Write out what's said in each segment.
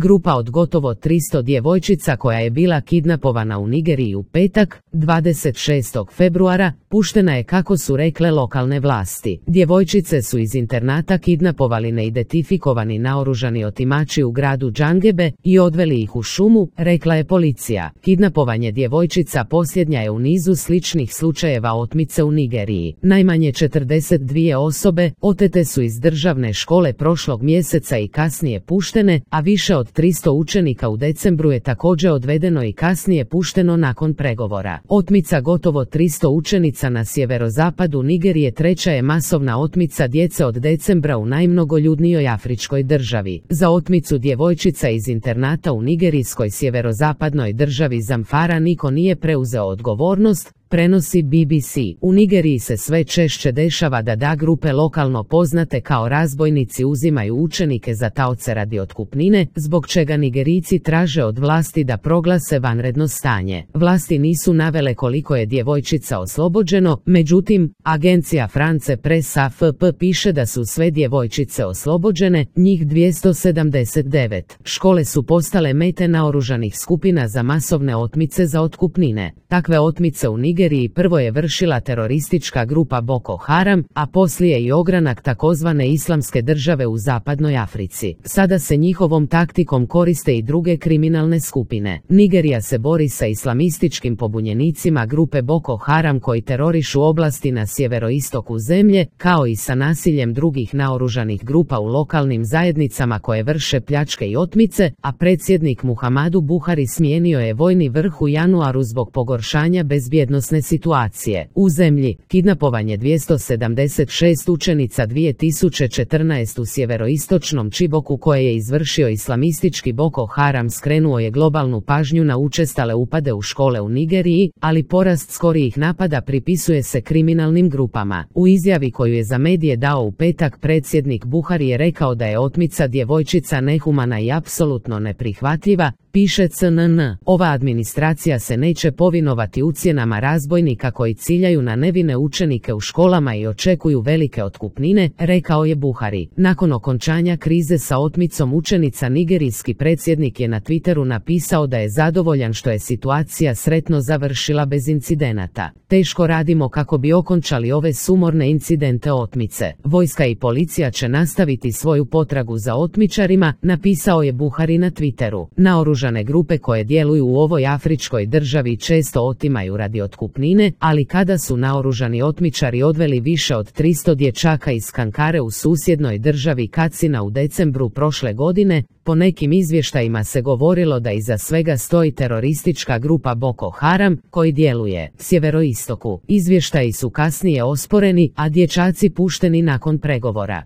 Grupa od gotovo 300 djevojčica koja je bila kidnapovana u Nigeriji u petak, 26. februara, puštena je kako su rekle lokalne vlasti. Djevojčice su iz internata kidnapovali neidentifikovani naoružani otimači u gradu Džangebe i odveli ih u šumu, rekla je policija. Kidnapovanje djevojčica posljednja je u nizu sličnih slučajeva otmice u Nigeriji. Najmanje 42 osobe otete su iz državne škole prošlog mjeseca i kasnije puštene, a više od 300 učenika u decembru je također odvedeno i kasnije pušteno nakon pregovora. Otmica gotovo 300 učenica na sjeverozapadu Nigerije treća je masovna otmica djece od decembra u najmnogoljudnijoj afričkoj državi. Za otmicu djevojčica iz internata u nigerijskoj sjeverozapadnoj državi Zamfara niko nije preuzeo odgovornost, prenosi BBC. U Nigeriji se sve češće dešava da grupe lokalno poznate kao razbojnici uzimaju učenike za taoce radi otkupnine, zbog čega Nigerijci traže od vlasti da proglase vanredno stanje. Vlasti nisu navele koliko je djevojčica oslobođeno, međutim, agencija France Presse AFP piše da su sve djevojčice oslobođene, njih 279. Škole su postale mete naoružanih skupina za masovne otmice za otkupnine. Takve otmice u Nigeriji prvo je vršila teroristička grupa Boko Haram, a poslije i ogranak takozvane islamske države u zapadnoj Africi. Sada se njihovom taktikom koriste i druge kriminalne skupine. Nigerija se bori sa islamističkim pobunjenicima grupe Boko Haram koji terorišu oblasti na sjeveroistoku zemlje, kao i sa nasiljem drugih naoružanih grupa u lokalnim zajednicama koje vrše pljačke i otmice, a predsjednik Muhammadu Buhari smijenio je vojni vrh u januaru zbog pogoršanja bezbjednosne situacije. U zemlji, kidnapovanje 276 učenica 2014 u sjeveroistočnom Čiboku koje je izvršio islamistički Boko Haram skrenuo je globalnu pažnju na učestale upade u škole u Nigeriji, ali porast skorijih napada pripisuje se kriminalnim grupama. U izjavi koju je za medije dao u petak predsjednik Buhari je rekao da je otmica djevojčica nehumana i apsolutno neprihvatljiva, piše CNN. Ova administracija se neće povinovati ucjenama razbojnika koji ciljaju na nevine učenike u školama i očekuju velike otkupnine, rekao je Buhari. Nakon okončanja krize sa otmicom učenica nigerijski predsjednik je na Twitteru napisao da je zadovoljan što je situacija sretno završila bez incidenata. Teško radimo kako bi okončali ove sumorne incidente otmice. Vojska i policija će nastaviti svoju potragu za otmičarima, napisao je Buhari na Twitteru. Naoružane grupe koje djeluju u ovoj afričkoj državi često otimaju radi otkupnine, ali kada su naoružani otmičari odveli više od 300 dječaka iz Kankare u susjednoj državi Katsina u decembru prošle godine, po nekim izvještajima se govorilo da iza svega stoji teroristička grupa Boko Haram, koji djeluje sjeveroistoku. Izvještaji su kasnije osporeni, a dječaci pušteni nakon pregovora.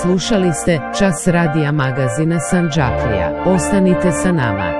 Slušali ste Čas radija magazina Sandžaklija. Ostanite sa nama.